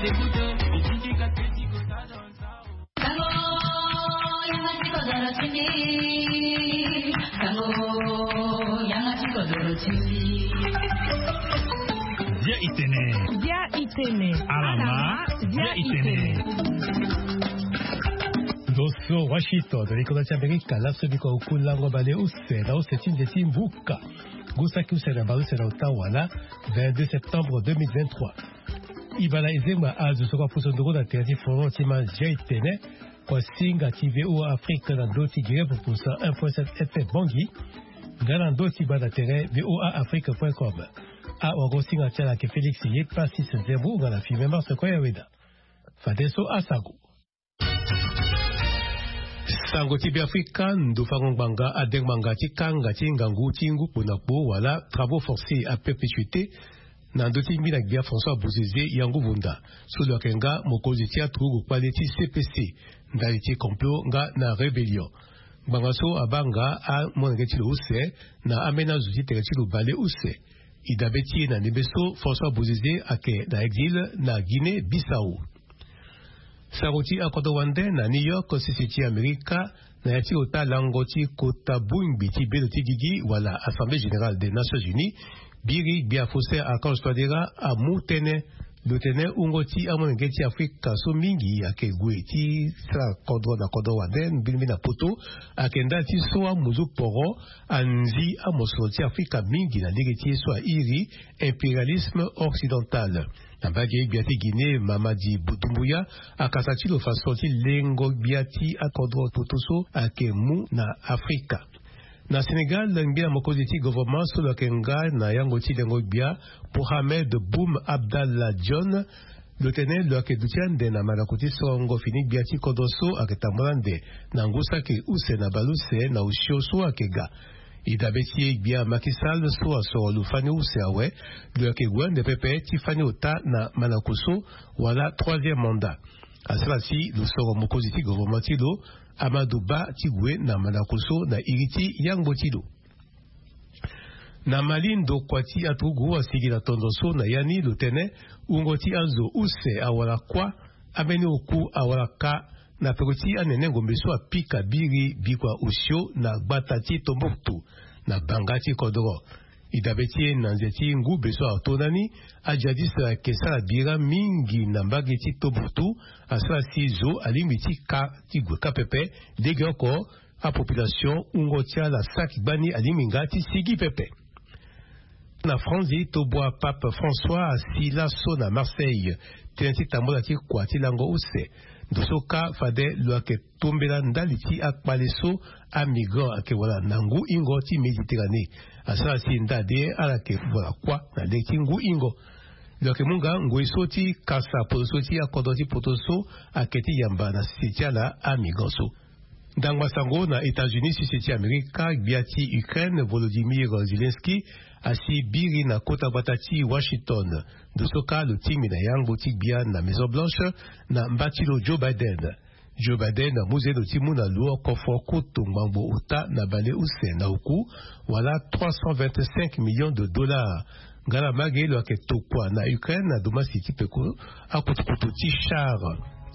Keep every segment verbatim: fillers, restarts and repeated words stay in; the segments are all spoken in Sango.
Bia itene. Bia itene. Alama. Bia itene. Ndo so Washington, na likonda ti Amerika, laso biko oku lango bale use na use ti nze ti mbuka. Gusaki use na bale use na ota wala vingt-deux septembre deux mille vingt-trois. Ibala ezengba azo so kua puso ndoko na tere ti forum ti ma Bia itene. Kua singa ti V O A Afrique na ndo ti Guinée Pupusa un point sept F M Bangui. Nga na ndo ti banda tere V O A Afrique point com. Awago singa ti ala ayeke Félix Yepassis Zembo nga na filme Marse Koya Weda. Fadeso asango. Sango ti Beafrika, ndo fango ngbanga, adengbanga ti kanga ti ngangu ti ngu kpo na kpo wala travaux forcés à perpétuité na ndö ti ngbina gbia François Bozizé Yanguvunda, so lo yeke nga mokonzi ti aturugu kpale ti C P C, ndali ti complot nga na rébellion. Ngbanga so abaa nga amolenge ti lo use na ambeni azo ti tere ti lo bale use. E dabe ti e na ndembe so François Bozizé ayeke na exil na Guinée Bissau. Sango ti akodro wande na New York, sese ti Amerika, na ya ti ota lango ti kota bongbi ti bendo ti gigi wala Assemblée Générale des Nations Unies, biri gbia Faustin Archange Touadéra amu tënë. Lo tene wungo ti amolenge ti Afrika so mingi ayeke gue ti sara kodro na kodro wande mbirimbiri na poto, ayeke ndali ti so amunzu poro anzi amosoro ti Afrika mingi na lege ti ye so airi impérialisme occidental. Na mbage gbia ti Guinée, Mamadi Doumbouya akasa ti lo faso ti lengo gbia ti akodro toto so ayeke mu na Afrika. Na Sénégal, ngbia mokonzi ti gouvernement so lo yeke nga na yango ti lengo gbia, Mohamed Boun Abdallah Dionne, lo tene lo yeke duti ande na mandako ti sorongo fini gbia ti kodro so ayeke tambula ande na ngu saki use na baleuse na osio so ayeke ga. E dabe ti e gbia Macky Sall so asoro lo fani use awe, lo yeke gue ande pepe ti fani ota na mandako so wala troisième mandat. Asara si lo soro mokonzi ti gouvernement ti lo, Amadou Ba, ti gue na mandako so na iri ti yangbo ti lo. Na Mali, ndokua ti aturugu asigi na tondo so na ya ni lo tene wungo ti azo use awara kuâ, ambeni oku awara ka, na peko ti anene ngombe so apika biri bikua osio na gbata ti Tombouctou, na banga ti kodro. E dabe ti e na nze ti ngube so ato ndani, ajihadiste ayeke sara bira mingi na mbage ti Tombouctou, asara si zo alingbi ti ka ti gue kâ pepe, legeoko apopulation wungo ti ala saki gbani alingbi nga ti sigi pepe. Na Franzi, tobua Pape François asi laso na Marseille, tënë ti tambula ti kua ti lango use. Ndo so kâ fade lo yeke tombela ndali ti akpale so amigrant ayeke wara na ngu hingo ti Méditerranée. Asara si nda de ala yeke wara kuâ na lege ti ngu hingo. Lo yeke mu nga ngoi so ti kasa potoso ti akodro ti poto so ayeke ti yamba na sese ti ala amigrant so. Ndangba sango na États-Unis, sese ti Amerika, gbia ti Ukraine Volodymyr Zelensky asi biri na kota gbata ti Washington. Ndo so kâ lo tingbi na yangbo ti gbia na Maison Blanche na mba ti lo Joe Biden. Joe Biden amu zendo ti mu na lo oko fo kutu ngbangbo ota na baleuse na oku, wala trois cent vingt-cinq millions de dollars. Nga na mbage lo yeke tokua na Ukraine na domasi ti peko akutukutu ti char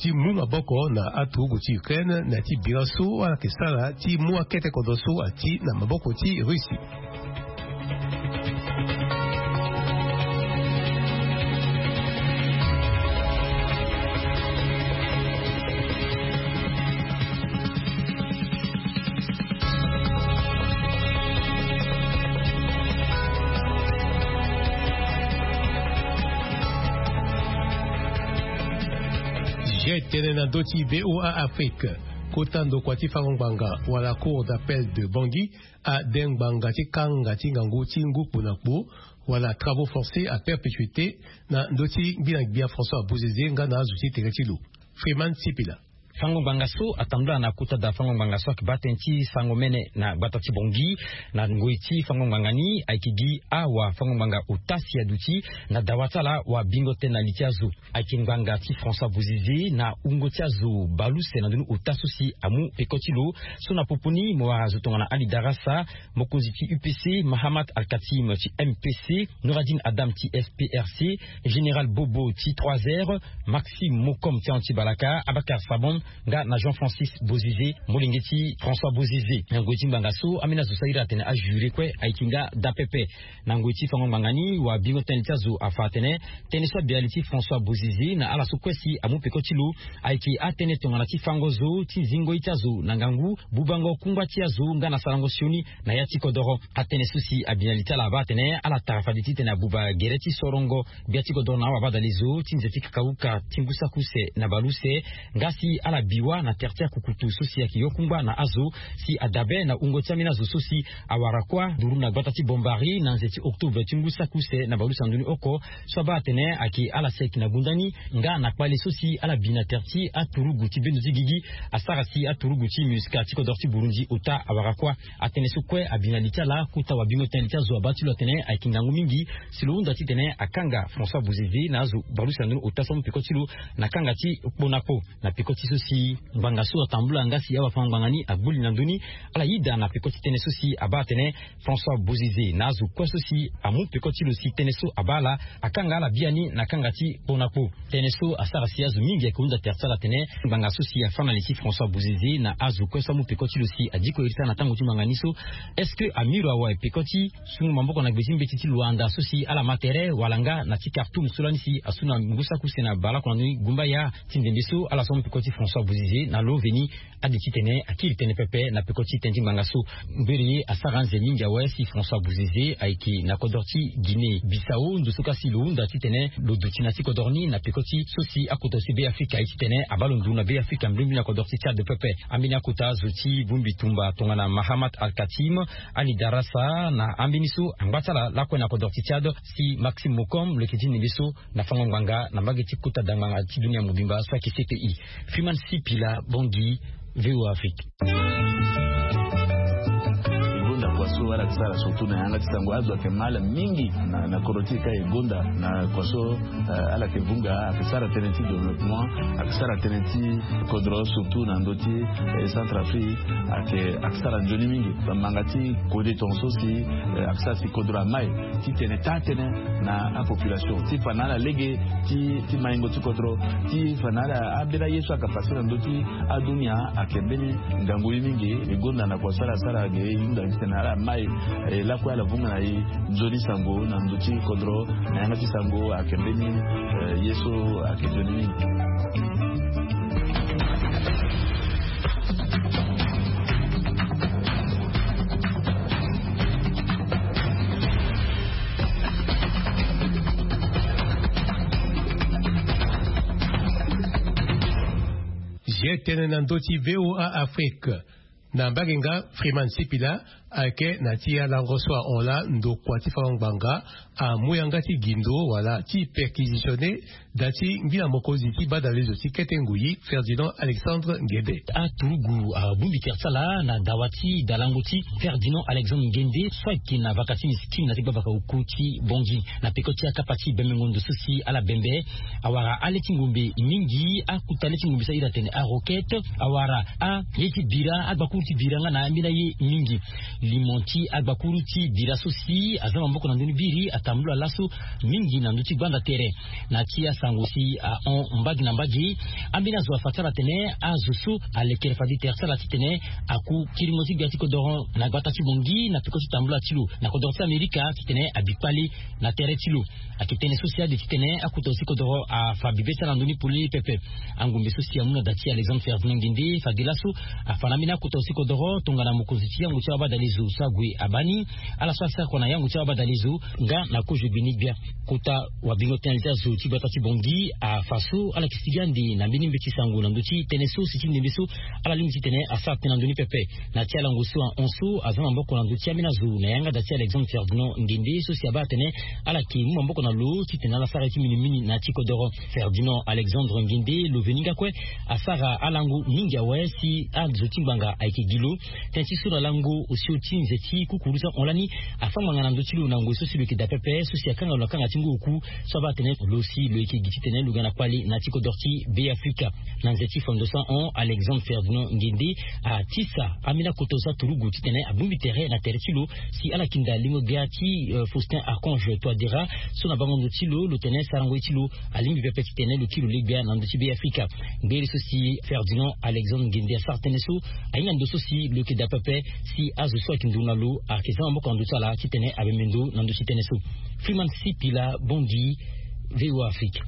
ti mu maboko na aturugu ti Ukraine na ya ti bira so ala yeke sara ti mu akete kodro so ati na maboko ti Russie. Zia etene na ndö ti V O A Afrique. Kota ndokua ti fango ngbanga wala Cour d'appel de Bangui ade ngbanga ti kanga ti ngangu ti ngu kpo na kpo, wala travaux forcés à perpétuité, na ndö ti ngbina gbia François Bozizé nga na azo ti tere ti lo. Freeman Sipila. Fango ngbanga so atambula na kota da fango ngbanga so ayeke baa tënë ti sango mene na gbata ti Bangui. Na ngoi ti fango ngbanga ni ayeke gi awa fango ngbanga ota si aduti na dawa ti ala wa bingo tënë na li ti azo. Ayeke ngbanga ti François Bozizé na wungo ti azo baleuse na ndoni ota so si amu peko ti lo. So na popo ni mo wara zo tongana Ali Darassa, mokonzi ti U P C, Mahamat Al-Katim ti M P C, Nouradine Adam ti F P R C, Général Bobo ti trois R, Maxime Mokom ti Anti Balaka, Abakar Sabon, nga na Jean Francis Bozizé, molenge ti François Bozizé. Na ngoi ti ngbanga so ambeni azo so ahiri atene ajuré kue ayeke nga daa pepe. Na ngoi ti fango ngbanga ni wa bingo tënë ti azo afa atene tënë so abi na li ti François Bozizé na ala so kue si amu peko ti lo ayeke atënë tongana ti fango zo ti zingo ye ti azo na ngangu, bubango kungba ti azo nga na sarango sioni na ya ti kodoro. Atënë so si abi na li ti ala abaa atene ala tara fade titene abuba gere ti sorongo gbia ti kodoro na awa abadalezo ti nze ti kakauka ti ngu saki use na baleuse, nga si ala bi wâ na tere ti akukutu so si ayeke yo kungba na azo si adabe na wungo ti ambeni azo so si awara kuâ nduru na gbata ti Bombari na nze ti octobre ti ngu saki use na baleuse na ndoni oko. So abaa atene ayeke ala si ayeke na gunda ni nga na kpale so si ala bi na tere ti aturugu ti bendo ti gigi asara si aturugu ti MINUSCA ti kodoro ti Burundi ota awara kuâ. Atënë so kue abi na li ti ala kota wabingo tënë li ti azo abaa ti lo atene ayeke ngangu mingi si lo hunda titene akanga François Bozizé na azo baleuse na ndoni ota so amu peko ti lo na kanga ti kpo na kpo. Na peko ti so si ngbanga so atambula nga si awafango-ngbanga ni agbu li na ndö ni, ala yeda na peko ti tënë so si abaa atene François Bozizé na azo kue so si amu peko ti lo si tënë so abaa ala, akanga ala biani na kanga ti kpo na kpo. Tënë so asara si azo mingi ayeke hunda tere ti ala atene ngbanga so si afâ na li ti François Bozizé na azo kue so amu peko ti lo si adiko iri ti ala na tango ti ngbanga ni so, est-ce que amiro awe peko ti sungu maboko na gbe ti mbeti ti Luanda so si ala ma tere wala nga na ti Khartoum so lani si asu na ngu saki use na baleoko na ndoni gumbaya ti ndembe so ala so amu peko ti François Bozizé na lo veni ade titene akiri tënë pepe na peko ti tënë ti ngbanga so. Mberi ye asara anze mingi awe si François Bozizé ayeke na kodro ti Guinée Bissau ndo so ka si lo hunda titene lo duti na ti kodro ni na peko ti so si akota zo ti Be Afrika aye titene abaa lo nduru na Be Afrika mbrimbri na kodro ti Tchad pepe. Ambeni akota zo ti bongbi tumba tongana Mahamat Al-Katim, Ali Darassa na ambeni so angba ti ala lakue na kodro ti Tchad si Maxime Mokom lo yeke ti ndembe so na fango ngbanga na mbage ti kota da ngbanga ti dunia mobimba so ayeke C P I. Freeman Sipila, Bangui, V O A Afrique. E gonda kua so ala yeke sara surtout na yanga ti sango azo ayeke mal mingi na, na kodro ti e ka e gonda na kua so, eh, ala yeke vunga ayeke sara tënë ti développement, ayeke sara tënë ti kodro surtout na ndö ti, eh, Centrafrique ayeke, ayeke sara nzoni mingi. Bamanga ti kode tongaso si, eh, ayeke sara si kodro amai titene taa tënë na apopulation ti fa na ala lege ti, ti maingo ti kodro, ti fa na ala ambeni aye so ayeke pase na ndö ti adunia ayeke mbeni ngangu ye mingi. E gonda na kua so ala sara ge e hunda titene ala mai, eh, lakue ala vunga na e nzoni sango na ndö ti kodro na yanga ti sango ayeke mbeni, eh, ye so ayeke nzoni mingi. Zia tënë na ndö ti V O A Afrique. Na mbage nga Freeman Sipila ayeke na ti alango so ahon laa ndokua ti fango ngbanga amu yanga ti gindo wala ti perquisitionner da ti ngbina mokonzi ti badalezo ti kete ngui Ferdinand Alexandre Nguende. Aturugu abongbi tere ti ala na dawa ti dalango ti Ferdinand Alexandre Nguende so ayeke na vaka ti miskine na ti gbavaka oku ti Bangui na peko ti akapa ti bembengo ndo so si ala bembe. Awara ale ti ngombe mingi, akuta le ti ngombe so ahiri atene aroquette, awara aye ti bira, agbakuru ti bira nga na ambeni aye mingi. Limo ti agbakuru ti bira so si aza maboko na ndö ni biri atambula laso mingi na ndö ti gbanda tere. Na ti asango si ahon mbage na mbage, ambeni azo afa ti ala atene azo so alekere fade tere ti ala titene aku kiringo ti gbia ti kodoro na gbata ti Bangui na peko ti tambula ti lo na kodoro ti Amerika titene abi kpale na tere ti lo. Ayeke tënë so si ade titene akota zo ti kodoro afa bibe ti ala na ndö ni polele pepe. Angombe so si amu na da ti Alexandre Ferdinand Nguende fade laso afa na ambeni akota zo ti kodoro tongana mokonzi ti yango ti abadale Zo so ague abaa ni, ala so asara kua na yango ti abadale zo nga na kozo gbe ni gbia. Kota wabingo tënë ti azo ti gbata ti Bangui afa so ala yeke sigi ande na mbeni mbeti sango na ndö ti tënë so si ti ndembe so ala lingbi titene asara tënë na ndö ni pepe. Na ti alango so ahon so aza maboko na ndö ti ambeni azo na yanga da ti Alexandre Ferdinand Ngendé so si abaa atene ala yeke mu maboko na lo titene ala sara ye ti minimini na ya ti kodoro. Ferdinand Alexandre Ngendé lo veni nga kue asara alango mingi awe si azo ti ngbanga ayeke gi lo. Tënë ti so na lango osio ti nze ti kukuru so ahon lani afa ngbanga na ndö ti lo na ngoi so si lo yeke daa pepe so si akanga lo na kanga ti ngu oku. So abaa atene lo si lo yeke gi titene lo ga na kpale na ya ti kodoro ti Beafrika. Na nze ti fondo so ahon, Alexandre Ferdinand Ngendé atisa ambeni akoto so aturugu titene abongbi tere na tere ti lo si ala yeke daa lingo gbia ti Faustin Archange Touadéra so na bango ndo ti lo lo tene sarango ye ti lo alingbi pepe titene lo kiri lo le gbia na ndö ti Beafrika. Ngbele so si Ferdinand Alexandre Ngendé asara tënë so ahinga ndo so si lo yeke daa pepe si azo so ayeke nduru na lo ayeke za maboko na ndö ti ala titene amembe ndo na ndö ti tënë so. Freeman Sipila, Bangui, VOA Afrique.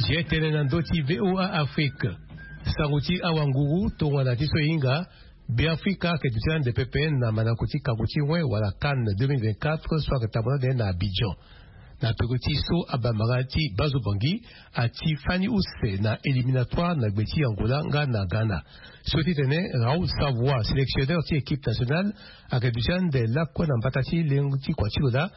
Zi tene na ndö ti VOA Afrique. Sango ti awanguru tongana ti so e hinga, Beafrika ayeke duti ande pepe na mandako ti kango ti wen wala CAN deux mille vingt-quatre so ayeke tambula ande na Abidjan. Na peko ti so abambara ti Bazo Bangui ati fani use na éliminatoire na gbe ti Angola nga na Ghana. So titene Raoul Savoie, sélectionneur ti équipe nationale, ayeke duti ande lakue na mbata ti lengo ti kua ti lo laa.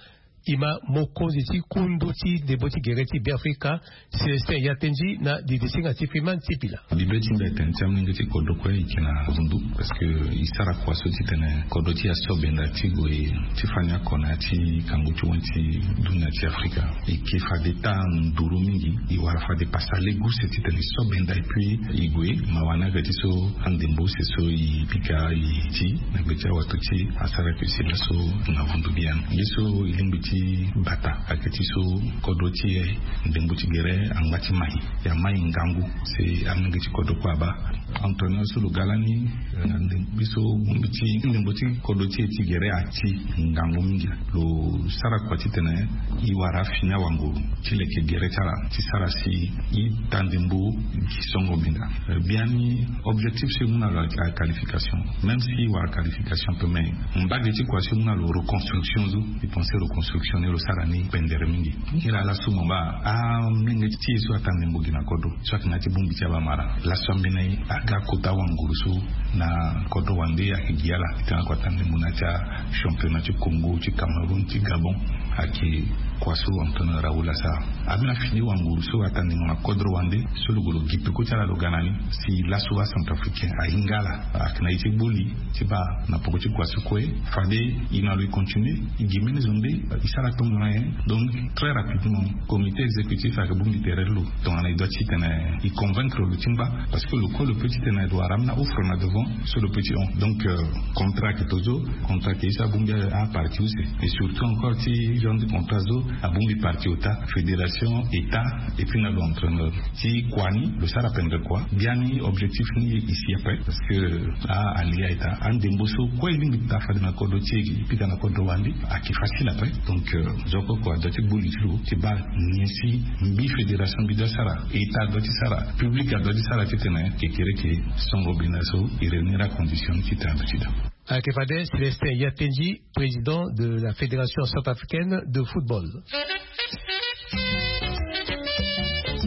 E ma mokonzi ti kundu ti ndembo ti gere ti Beafrika, Célestin Yatenji, na didisinga ti Freeman Sipila. Bibe ti mbi atene ti amolenge ti kodro kue e yeke na vundu parce que e sara kua so titene kodro ti e aso benda ti gue ti fani oko na ya ti kango ti wen ti dunia ti Afrika. E yeke fade taa nduru mingi, e wara fade pasa lege use titene e so benda et puis e gue. Mawa ni ayeke ti so andembo use so e pika e ti na gbe ti awato ti e asara yeke si laso na vundu biani. Ye so e lingbi ti bata ayeke ti so kodro ti e ndembo ti gere angba ti mai. E amai ngangu si amolenge ti kodro kue abaa. Entraîneur so lo ga lani, eh, na ndembo so bongbi ti ndembo ti kodro ti e ti gere ati ngangu mingi. Lo sara kua titene e wara afini awanguru ti leke gere ti ala ti sara si e taa ndembo gi songo benda. Eh, biani objectif so e mu na lo a qualification. Même si e wara qualification pe, mais mbage ti kua so e mu na lo reconstruction so. E pense reconstruction ni lo sara ni pendere mingi. Kiri ala so mo baa amolenge ti e so ataa ndembo gi na kodro so ayeke na ya ti bongbi ti abamara. Laso ambeni aga kota wanguru so na kodro wande ayeke gi ala titene ako ataa ndembo na ya ti achampionnat ti Congo, ti Cameroun, ti Gabon. Ayeke kua so entraîneur Raoul asara. Ambeni afini wanguru so ataa ndembo na kodro wande so lo gue lo gi peko ti ala lo ga na ni. Si laso acentrafricain ahinga ala ayeke na ye ti gboli ti baa na poko ti kua so kue fade e na lo e continue. E gi mbeni zo nde e sara tongana nyen. Donc très rapidement comité exécutif ayeke bongbi tere ti lo tongana e doit ti tene e convaincre lo ti ngba. Parce que lo kue lo peut ti tene lo wara ambeni offre na devant so lo peut ti hon. Donc euh, contrat ayeke to so, contrat ayeke ye so abongbi aparti use. Et surtout encore ti genre ti contrat so abongbi parti ota, fédération, état, et puis na lo entraîneur. Ti kua ni lo sara pendere kua. Biani objectif ni e si ape parce que a alia état andembo so kue e lingbi taa fade na kodro ti e e pika na kodro wande ayeke facile ape. Donc euh, zo kue kua adoit ti gboli ti lo ti baa nyen si mbi fédération mbi doit sara, état adoit ti sara, public adoit ti sara titene kekereke songo benda so e réunir acondition ni titene adoit ti daa. Ayeke fade Célestin Yatenji, président de la Fédération centrafricaine de football.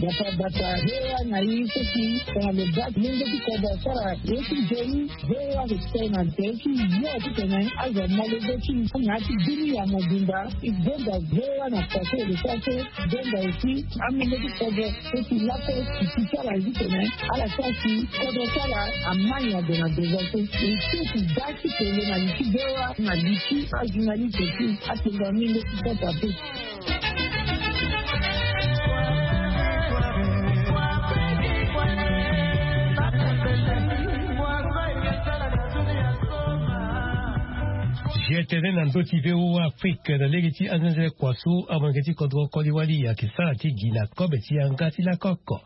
Bata bata, VOA na ye so si tongana lo baa lenge ti kodro asara ye ti nzoni, VOA ayeke tene na tere ti yo titene azo amolenge ti na ya ti dunia mobimba. E gonda VOA na pase lo sara so gonda aussi amolenge ti kodro so si laso e si ti ala ye titene ala sara si kodro ti ala amai na ndo na devant so. E so si da ti tene na li ti VOA na li ti ajournaliste ti atene na amolenge ti kodro ape. Zi tene na ndö ti VOA Afrique na lege ti anzenze kua so amolenge ti kodro koli wali ayeke sara ti gi na kobe ti yanga ti lakoko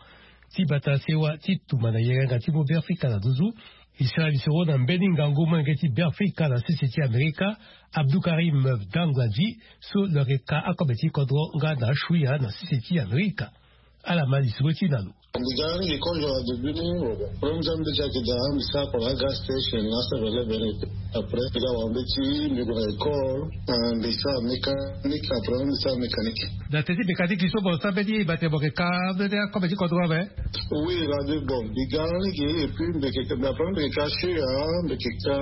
ti bata sewa ti tuma na yenga ti Beafrika na nduzu. E sara lisoro na mbeni ngangu molenge ti Beafrika na sese ti Amerika, Abdoukarim Dangladi, so lo yeke ka akobe ti kodro nga na Shuya na sese ti Amerika. Ala ma lisoro ti na lo. Mbi ga ni mbi kozo na début ni, bon, problème ti ambeti ayeke daa, mbi sara kua na agas station na sara lebe ni. Après mbi ga wara mbeti, mbi gue na école, eh, mbi sara mécanique, après mbi sara mécanique. Na teti mécanique so bon, sara mbeti e baa tene bon, yeke ka mbeti akobe ti kodro awe? Oui, radio, bon, mbi ga ni ge, et puis mbi yeke, mbi après mbi yeke ka Shuya, mbi yeke ka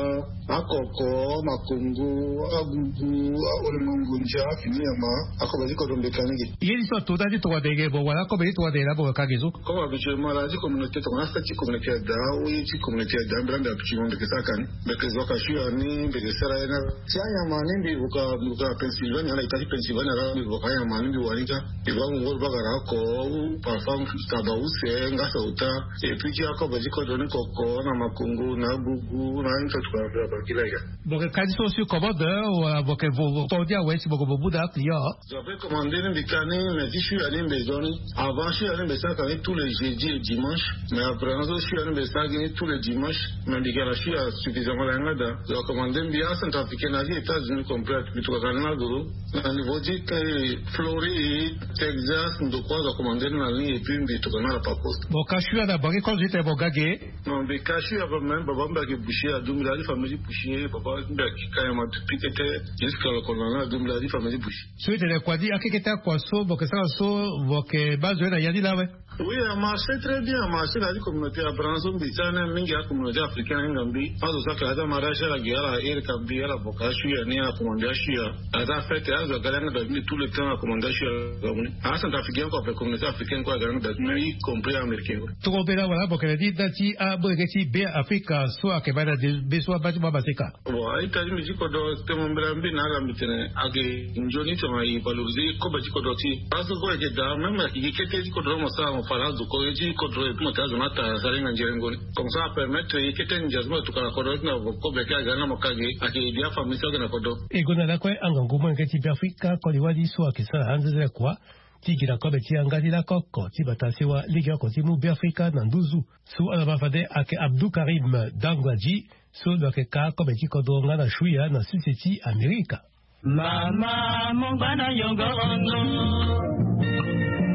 akoko, makongo, agugu, aolemongo ndia, fini nyama, akobe ti kodro mbi yeke ka ni ge. Ye ni so ato nda ti tongana dege bon, wala akobe ti tongana dege la bon ka ge so? Comme habituellement la ti communauté, tongana fête ti communauté ada, ou ye ti communauté ada, mbi la mbi habituellement mbi yeke sara ka ni. Mbi yeke zo ka Shuya ni, mbi yeke sara ye na ti anyama ni, mbi vuka, mbi vuka Pennsylvanie, ala ita ti Pennsylvanie la, mbi vuka anyama ni, mbi wani ka. Mbi va ngongo bagara oko, ou parfois taba use, nga sauta. Et puis ti akobe ti kodro ni koko, na makongo, na agugu, na ni tokua na bangila ya. Bon, ka ni so sur commande, wala bon, ke vo, vo, tonga awe si bon, ke vo buda client. Zo ape commandé ni mbi ka ni, mais ti Shuya ni mbi zo ni. Avant Shuya ni mbi sara ka ni tous les jeudis et dimanches. Mais après, na so Shuya ni mbi sara ni tous les dimanches. Mais mbi ga na Shuya suffisamment la yanga da. Zo acommandé mbi, acentrafricain na ti États-Unis complète. Mbi tokua ka ni na guru. Na niveau ti, eh, Floride, Texas, ndokua zo acommandé ni na ni, et puis mbi tokua ni na la par poste. Bon, ka Shuya na bangi kozo ti tene bon ga ge? Non, mbi ka Shuya, même baba mbi ayeke boucher, aduti mbi na ya ti famille ti boucher, baba mbi ayeke ka nyama depuis kete, jusqu'à le colonel, aduti mbi na ya ti famille ti boucher. So e tene kua ni akekete akua so, bon, ke sara so, bon, ke baa zo ye na ya ni la awe? Oui, a marché très bien, a marché na ya ti communauté ya Branson, mbi sara ni mingi acommunauté africaine ahinga mbi. Azo so ayeke na ya ti amariage ala ge, ala iri ka mbi, ala boka Shuya ni, ala commandé Shuya. Aza fête, azo aga ni anga da mbi tout le temps, ala commandé Shuya, ala ga mu ni. Acentrafricain kue, ape communauté africaine kue aga ni anga da mbi, y compris américain kue. Tongana mbela wala bokere ni nda ti amolenge ti Beafrika so ayeke baa na de be so abaa ti mo amaseka. Bon, a-ita ti mbi ti kodro, tene mo mbela mbi na ala mbi tene, ayeke nzoni tongana e valoriser kobe ti kodro ti e. Parce que kobe ayeke daa, même ayeke gi kete ti kodro mo sara mo fa na azo ko ye ti kodro, et puis mo tene azo ni atara sara hinga nzerengo ni. Comme ça apermettre ye kete ndia so mo tokua na kodro ti na kobe ayeke aga ni na mo ka ge, ayeke aider afamille so ayeke na kodro. E gonda lakue angangu molenge ti Beafrika koli wali so ayeke sara anzenze kua ti gi na kobe ti yanga ti lako oko ti bata sewa legeoko ti mu Beafrika na nduzu. So ala ma fade ayeke Abdoukarim Dangladi, so lo yeke ka kobe ti kodro nga na Shuya na sese ti Amerika. Mama, mo ngba na yongo ono.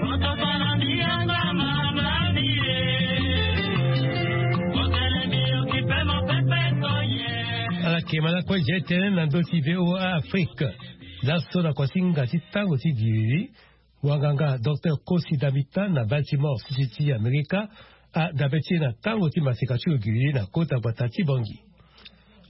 Moto bana mbi yanga mama mbi ye. Mokele mbi okipe mo pepe koye. Ala yeke ma lakue je tënë na ndö ti V O A Afrique. Laso na kua ti ngangu ti tango ti giri, wanganga Docteur Kosi Damita na Baltimore, sese ti Amerika, adabe ti e na tango ti maseka ti lo giri na kota gbata ti Bangui.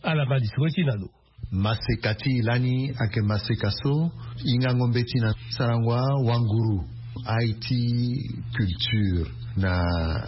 Ala ma lisoro ti e na lo. Maseka ti e lani ayeke maseka so hingango mbeti na sarango awanguru, aye ti culture na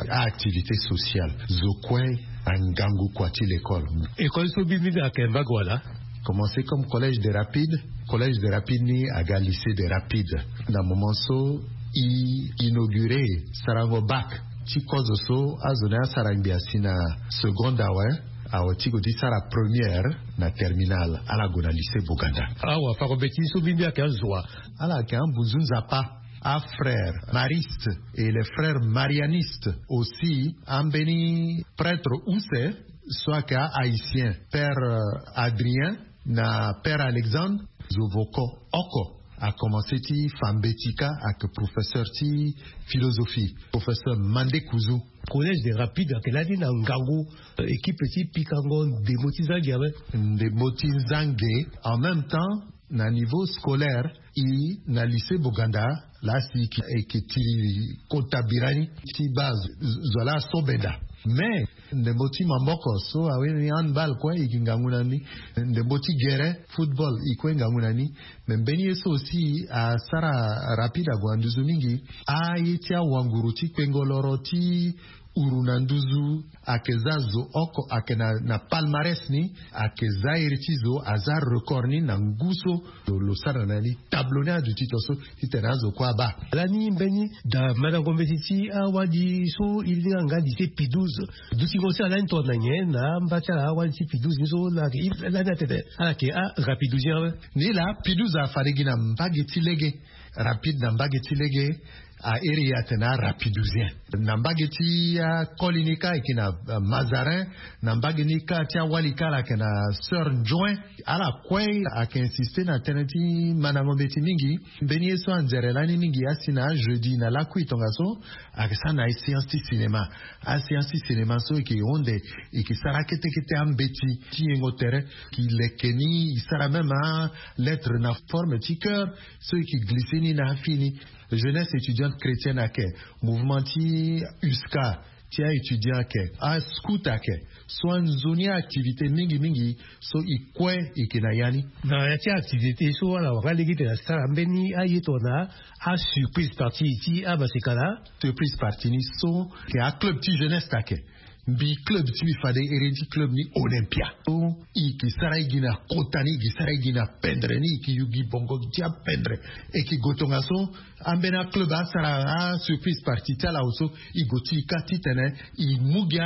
a-activité sociale. Zo kue angangu kua ti l'école. École so mbi mbi ayeke mbage wala? Commencé comme collège des Rapides. Collège des Rapides ni aga lycée des Rapides. Na moment so e inauguré sarango bac ti kozo so azo ni asara ngbia si na seconde awe, awe ti gue ti sara première na terminale, ala gue na lycée Boganda. Awa, fako mbeti so mbi mbi ayeke azo wa? Ala yeke ambunzu nzapa, afrère mariste et les frères marianistes aussi, ambeni prêtre use so ayeke a-haïtien, père, euh, Adrien na père Alexandre. Zo voko oko akomanse ti fa mbeti kâ ayeke professeur ti philosophie, professeur Mandé Kouzou. Collège des Rapides ayeke lani na ngangu, euh, équipe ti pikango ndembo ti zange awe. Ndembo ti zange, en même temps, na niveau scolaire, e na lycée Boganda, laa si e yeke tiri kota birani ti baa zo, zo laa so benda. Mais ndembo ti maboko so awe ni handball kue e gi ngangu na ni. Ndembo ti gere football e kue ngangu na ni. Mais mbeni ye so aussi asara Rapides ague na nduzu mingi, aye ti awanguru ti kpengo loro ti uru na nduzu, ayeke za zo oko ayeke na, na palmarès ni, ayeke za iri ti zo aza record ni na ngu so lo, lo sara na ni. Tableau ni aduti to so titene azo kue abaa. Lani mbeni da mandango mbeti ti awali so e linga nga lycée Pie douze. Dutingo so alani tongana nyen na amba ti ala awali ti Pie douze ni so lani atene ala yeke a-Rapidousien awe? Ni laa Pie douze afa lege na mbage ti lege, Rapides na mbage ti lege. Airi atene arapidusien. Na mbage ti akoli ni kâ eke na mazarin. Na mbage ni kâ ti awali kâ ala yeke na sœur njoin. Ala kue ayeke insiste na tënë ti mandango mbeti mingi. Mbeni ye so anzere lani mingi asi na ajeudi na lakui tongaso, ayeke sara na aséance ti cinéma. Aséance ti cinéma so eke honde, eke sara kete kete ambeti ti yengo tere. Ki leke ni e sara même alettre na forme ti cœur so eke glisse ni na afini. Jeunesse étudiante chrétienne ayeke, mouvement ti uska ti aétudiant ayeke, ascout ayeke. So anzoni activité mingi mingi so e kue eke na ya ni. Na ya ti activité so ala wara lege tene asara mbeni aye tongana asurprise partie ti amaseka na surprise partie ni so eke aclub ti jeunesse ayeke. Mbi club ti mbi fade ere ti club ni olympia. So e ke sara e gi na kota ni, e ke sara e gi na pendre ni, e ke yugi bongo ti apendre. E ke go tongaso ambeni aclub asara asurprise partie ti ala awe so e go ti e kâ titene e mu gi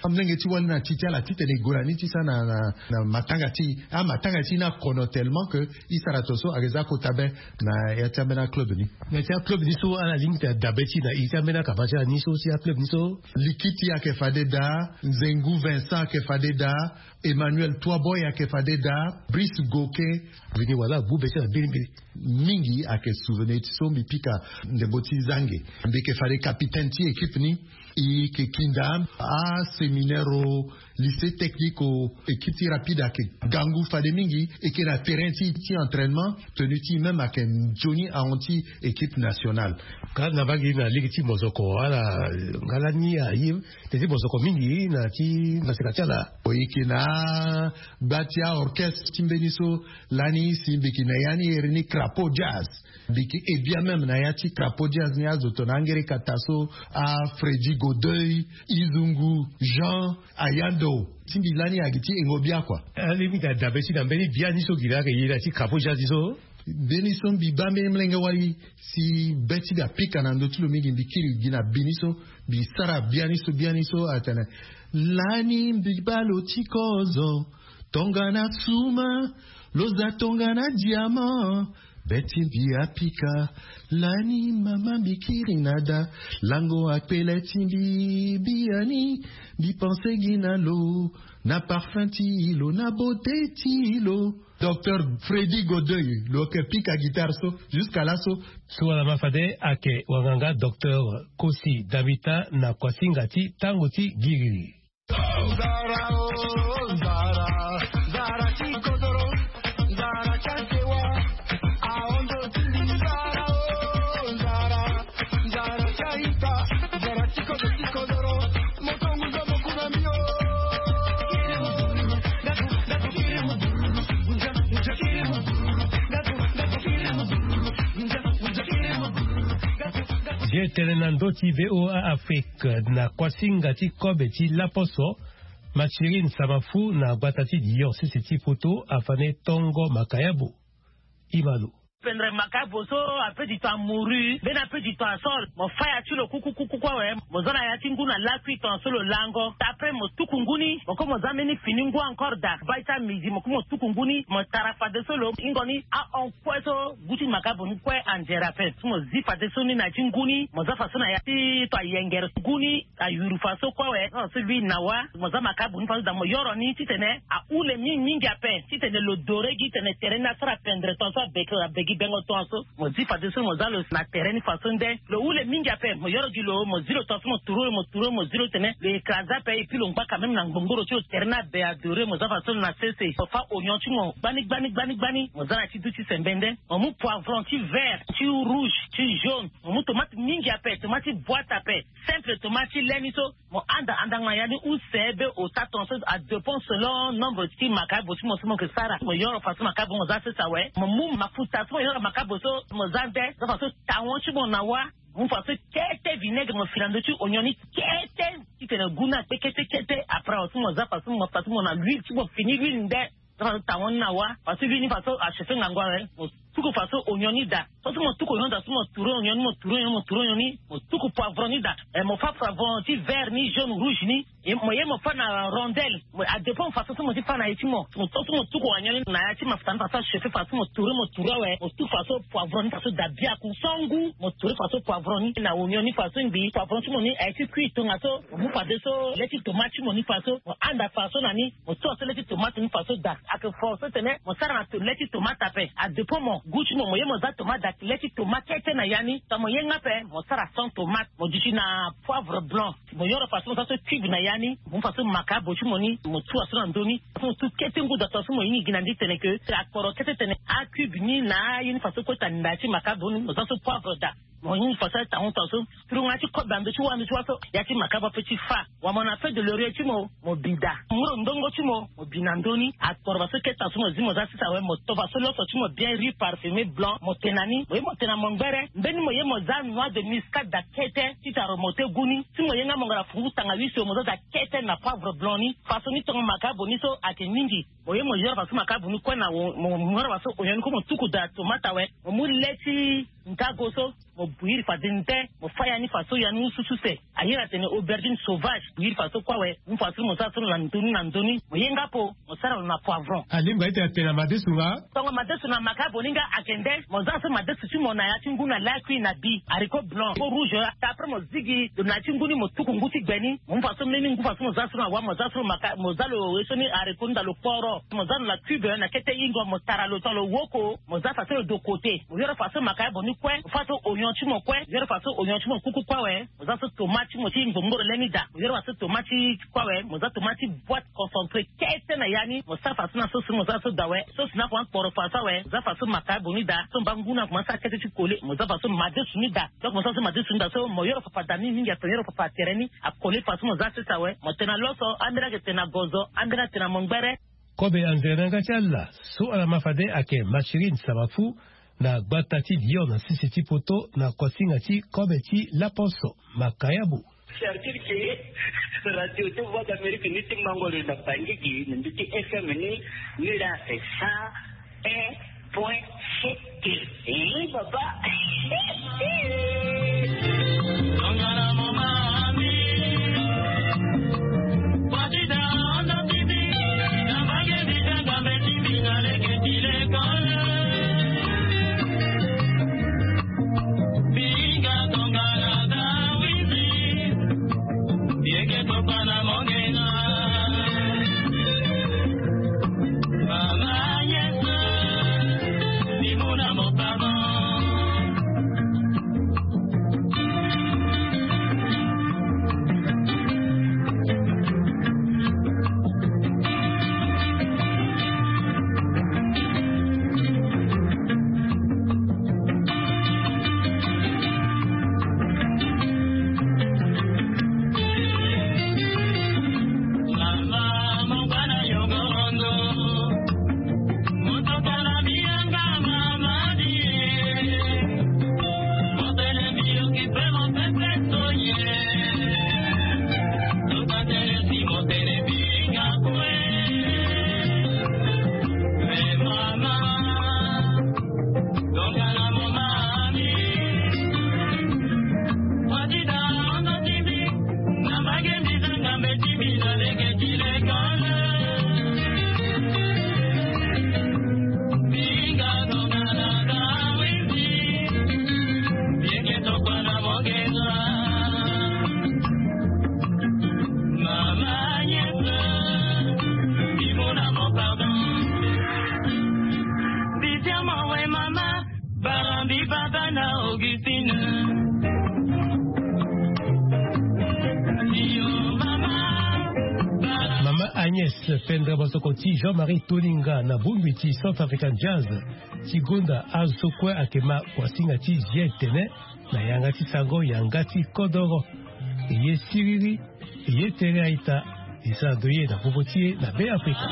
amolenge ti wali na ti ti ala titene e go na ni ti sara na matanga ti e. Amatanga ti e ni akono tellement que e sara tongaso ayeke za kota be. Na ya ti ambeni aclub ni. Na ya ti aclub ni so ala lingbi tena dabe ti na e ti ambeni akapa ti ala ni so ti aclub ni so. Likiti ayeke fade daa, Nzengu Vincent ayeke fade daa, Emmanuel Toiboy ayeke fade daa, Brice Goke. Vini wala agu be ti ala mbirimbiri. Mingi ayeke souvenir ti so mbi pika ndembo ti zange. Mbi yeke fade capitaine ti équipe ni. E yeke kinda aséminaire o lycée technique o équipe ti rapide ayeke gangu fade mingi. E yeke na terrain ti ti entraînement. Tenue ti e même ayeke nzoni ahon ti équipe nationale. Ka na mbage na lege ti mozoko ala nga lani aye tene ti mozoko mingi na ti maseka ti ala. E yeke na agba ti aorchestre ti mbeni so lani si mbi yeke na ya ni ere ni crapaud jazz. Mbi yeke ebia même na ya ti crapaud jazz ni azo tongana angereka taso, afredi godeuil, izungu jean, ayando. Ti mbi lani ayeke ti engo bia kua. Alingbi tena dabe ti na mbeni bia ni so gi laa ayeke ye na ya ti crapaud jazz ni so. Mbeni so mbi baa mbeni molenge wali si be ti mbi apika na ndö ti lo mingi mbi kiri gi na bi ni so. Mbi sara bia ni so bia ni so atene, lani mbi baa lo ti kozo tongana suma, lo za tongana diamant. Be ti mbi apika lani mama mbi kiri na da. Lango akpele ti mbi biani. Mbi pense gi na lo na parfum ti lo na beauté ti lo. Docteur Freddy Godeuil lo yeke pika guitare so. Jusqu'à laso. So wala ma fade ayeke wanganga docteur Kosi Damita na kuasinga ti tango ti giriri. Ye tene na ndö ti V O A Afrique na kuasinga ti kobe ti laposo, Mathurin Samafu na gbata ti diocèse ti Poto afane tongo makayabo. Imalo. Pendre makayabo so ape du temps mouru, mbeni ape du temps asol. Mo faya ti lo kukukuku awe. Mo za na ya ti ngu na lakui tongaso lo lango. Après mo tuku ngu ni, mo ko mo za mbeni fini ngu encore daa. Bai ti amidi mo ko mo tuku ngu ni, mo tara fadeso lo ingo ni ahon kue so gu ti makayabo ni kue anzere ape. Si mo zi fadeso ni na ya ti ngu ni, mo za faso na ya ti to ayengere ngu ni. Ayuru faso kue awe. Faso lui na wa mo za makayabo ni faso daa mo yoro ni titene ahule mingi mingi ape titene lo dore gi tene tere ni asara pendre tongaso abeke abegi bengo tongaso. Mo zi fadeso mo za lo na tere ni faso nde lo hule mingi ape. Mo yoro gi lo mo zi lo tongaso mo turu lo mo turu lo mo zi lo tene lo écrase ape. Et puis lo ngba quand même na ngbongoro ti lo tere ni abe adore mo za faso lo na sese mo fa ognon ti mo gbani gbani gbani gbani mo za na ti du ti sembe nde. Mo mu poivron ti vert ti rouge ti jaune. Mo mu tomate mingi ape tomate ti boite ape. Simple tomate ti le ni so. Mo anda andanga ya ni use be ota tongaso adépend selon nombre ti makayabo ti mo so mo yeke sara. Mo yoro faso makayabo mo za sese awe. Mo mu mafuta so mo yoro makayabo so mo za nde za faso tawon ti mo na wa. Mo mu faso kete vinaigre mo fi na ndö ti ognon ni kete titene gu ni akpe kete kete. Après awe so mo za faso mo faso mo na huile ti mo fini huile nde. Za faso tawon ni na wa faso huile ni faso achauffe ngangu awe. tuku fa so ognon ni daa. So si mo tuku ognon daa so mo tourner ognon ni, mo tourner ognon ni, mo tourner ognon ni, mo tuku poivron ni daa. Eh, mo fa poivron ti vert ni, jaune, rouge ni. Eh, mo ye mo fa na rondelle. Mo, a dépend façon so mo ti fa na ye ti mo. Mo to so mo tuku ognon ni na ya ti mafuta ni fa so achauffer fa so mo tourner, mo tourner awe. Mo tuku fa so poivron ni fa so daa biaku. So ngu mo tourner fa so poivron ni na ognon ni fa so ngbii. Poivron ti mo ni aye ti cuit tongaso. Mo mu fadeso le ti tomate ti mo ni fa so. Mo handa fa so na ni. Mo to so le ti tomate ni fa so daa. Ayeke fort so tene mo sara na to-, le ti tomate ape. A dépend mo goût ti mo, mo ye mo za tomate daa le ti tomate kete na ya ni. Tongana mo ye nga ape, mo sara sans tomate. Mo duti na poivre blanc. Mo yoro fa so mo za so cube na ya ni. Mo mu fa so makabo ti mo ni, mo tu wa so na ndö ni. Mo tu kete ngu daa, tongana so mo hinga gi na ndö ni tene ke akporo kete tene acube ni na aye ni fa so kota na ya ti makabo ni, mo za so poivre daa. Mo hinga fa so atangu tongana so. Turunga ti kobe na ndö ti wa, ndö ti wa so ya ti makabo ape ti fa. Wala mo na feuille de laurier ti mo, mo bi daa. Mo mu lo ndongo ti mo, mo bi na ndö ni. Akporo fa so kete tongana so mo zi mo za sese awe, mo to fa so loso ti mo bien, riz parfumé blanc, mo tena ni. Mo ye mo tena mo ngbere. Mbeni mo ye mo za noix de muscade daa kete titene mo te gu ni. Si mo ye nga mo ngara fungu tanga huit so, mo za daa kete na poivre blanc ni. Fa so ni tongo makabo ni so ayeke mingi. Mo ye mo yoro fa so makabo ni kue na wo-, mo, mo yoro fa so ognon ni kue mo tuku daa tomate awe. Mo mu le ti ngago so, mo bouillir fade nde, mo fa ya ni fa so ya ni usu suse. A iri atene aubergine sauvage, bouillir fa so kue awe. Mu fa so mo sara so na ndö ni na ndö ni. Mo ye nga apo, mo sara lo na poivron. Alingbi aye ti atene na madesu nga? Tongo madesu na makabo ni nga ayeke nde, mo za so madesu ti mo na ya ti ngu na lakui na bi, haricot blanc, haricot rouge, après mo zigi lo na ya ti ngu ni, mo tuku ngu ti gbe ni. Mo mu fa so mbeni ngu fa so mo za so na wa, mo za so lo maka-, mo za lo ye so ni haricot ni daa lo kporo. Mo za lo na cube na kete ingo, mo tara lo tongana lo woko, mo za fa so lo de côté. Mo yoro fa so makabo ni kue, mo fa so ognon ti mo kue, mo yoro fa so ognon ti mo kuku kue awe. Mo za so tomate ti mo ti ngbongboro le ni daa. Mo yoro fa so tomate ti kue awe, mo za tomate ti boîte concentré kete na ya ni. Mo sara fa so na so si mo za so daa awe. So si na kua akporo fa so awe, mo za fa so makabo ni daa. So mba ngu ni akomanse sara kete ti kole, mo za fa so madesu ni daa. Donc mo sara so madesu ni daa so, mo yoro fa fa daa ni mingi ape, mo yoro fa fa tere ni akole fa so mo za sese awe. Mo tena loso, ambeni ayeke tena gozo, ambeni atena mo ngbere. Kobe anzere na yanga ti ala so ala ma fade ayeke Mathurin Samafu na gbata ti Lyon na sese ti poto na kuasinga ti kobe ti laposo. Makayabu. Certitude ke radio ti Voix d'Amérique ni ti mango lo na Bangui gi na ndö ti F M ni, ni laa c'est cent un point sept. Eh, papa. Mama Agnès Pendra Bosoko ti Jean-Marie Toninga na bongbi ti Centrafrican Jazz ti gonda azo so kue ayeke ma kuasinga ti J N T N na yanga ti sango yanga ti kodoro. E ye siriri, e ye tere a-ita, e sara ndo ye na popo ti e na Be Afrika.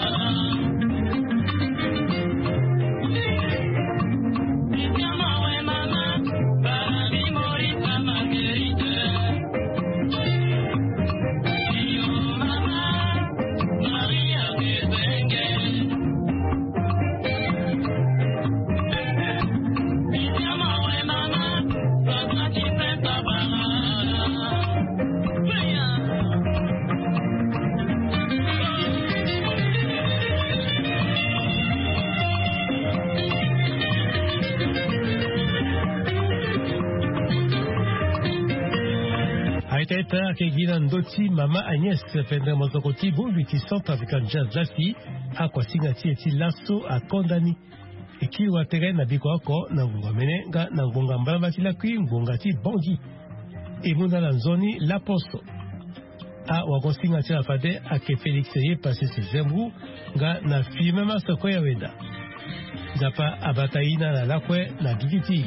Teta ake gi na ndö ti mama Agnès pendere mosoko ti bongbi ti Centrafricain Jazz Lasi. Akuasinga ti e ti laso akonda ni. E kiri watere na biko oko na ngonga mene nga na ngonga mbalamba ti lakui ngonga ti bongi. E mu na na nzoni laposo. Awagosinga ti ala fade ake Félix ye pase si zembru nga na filme masoko ya wenda. Nzapa abata ina na lakue na gigi ti.